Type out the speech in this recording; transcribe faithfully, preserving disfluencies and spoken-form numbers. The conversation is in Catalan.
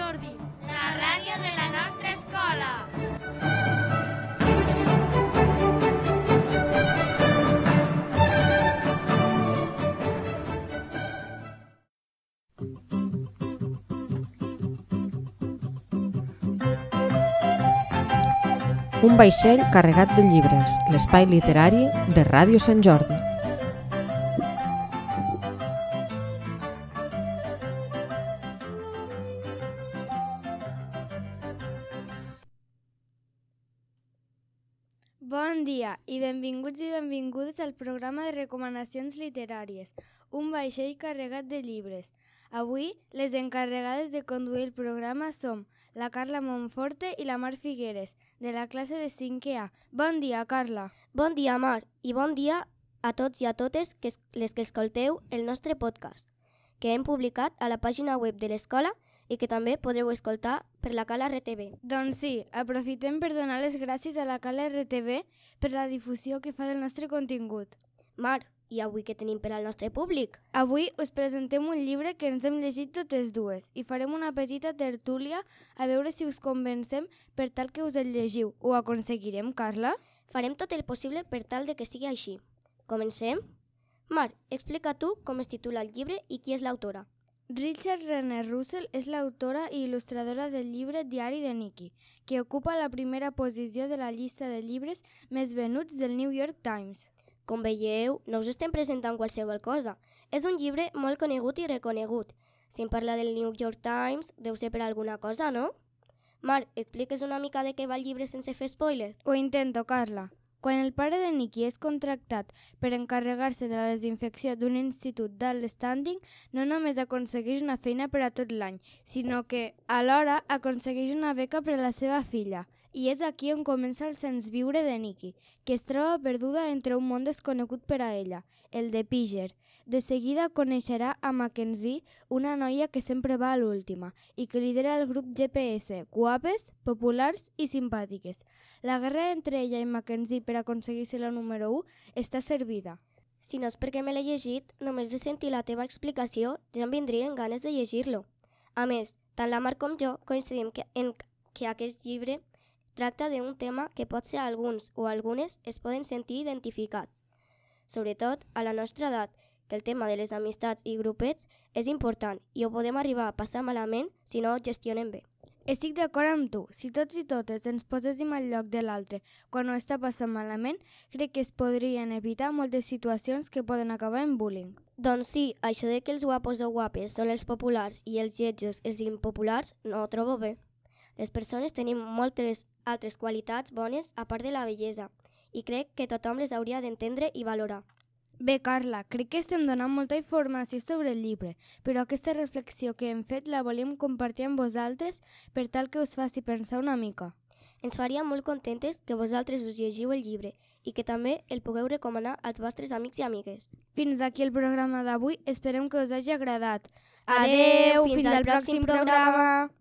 Jordi, la ràdio de la nostra escola. Un vaixell carregat de llibres, l'espai literari de Ràdio Sant Jordi. Bon dia i benvinguts i benvingudes al programa de recomanacions literàries, un vaixell carregat de llibres. Avui, les encarregades de conduir el programa som la Carla Monforte i la Mar Figueres, de la classe de cinquè A. Bon dia, Carla. Bon dia, Mar, i bon dia a tots i a totes que es, les que escolteu el nostre podcast, que hem publicat a la pàgina web de l'escola i que també podreu escoltar per la Cala R T V. Doncs sí, aprofitem per donar les gràcies a la Cala R T V per la difusió que fa del nostre contingut. Mar, i avui què tenim per al nostre públic? Avui us presentem un llibre que ens hem llegit totes dues i farem una petita tertúlia a veure si us convencem per tal que us el llegiu. Ho aconseguirem, Carla? Farem tot el possible per tal de que sigui així. Comencem? Mar, explica tu com es titula el llibre i qui és l'autora. Richard Renner Russell és l'autora i il·lustradora del llibre Diari de Nicky, que ocupa la primera posició de la llista de llibres més venuts del New York Times. Com veieu, no us estem presentant qualsevol cosa. És un llibre molt conegut i reconegut. Si em parla del New York Times, deu ser per alguna cosa, no? Mar, expliques una mica de què va el llibre sense fer spoiler? Ho intento, Carla. Quan el pare de Nicky és contractat per encarregar-se de la desinfecció d'un institut d'alt standing, no només aconsegueix una feina per a tot l'any, sinó que, alhora, aconsegueix una beca per a la seva filla. I és aquí on comença el sens viure de Nicky, que es troba perduda entre un món desconegut per a ella, el de Píger. De seguida coneixerà a Mackenzie, una noia que sempre va a l'última i que lidera el grup G P S, guapes, populars i simpàtiques. La guerra entre ella i Mackenzie per aconseguir ser la número u està servida. Si no és perquè me l'he llegit, només de sentir la teva explicació ja em vindrien ganes de llegir-lo. A més, tant la Mar com jo coincidim que, en que aquest llibre tracta d'un tema que potser alguns o algunes es poden sentir identificats. Sobretot a la nostra edat, que el tema de les amistats i grupets és important i ho podem arribar a passar malament si no ho gestionem bé. Estic d'acord amb tu. Si tots i totes ens poséssim al lloc de l'altre quan ho està passant malament, crec que es podrien evitar moltes situacions que poden acabar en bullying. Doncs sí, això de que els guapos o guapes són els populars i els lletjos els impopulars no ho trobo bé. Les persones tenim moltes altres qualitats bones a part de la bellesa i crec que tothom les hauria d'entendre i valorar. Bé, Carla, crec que estem donant molta informació sobre el llibre, però aquesta reflexió que hem fet la volíem compartir amb vosaltres per tal que us faci pensar una mica. Ens faria molt contentes que vosaltres us llegiu el llibre i que també el pugueu recomanar als vostres amics i amigues. Fins aquí el programa d'avui, esperem que us hagi agradat. Adeu, fins al pròxim programa!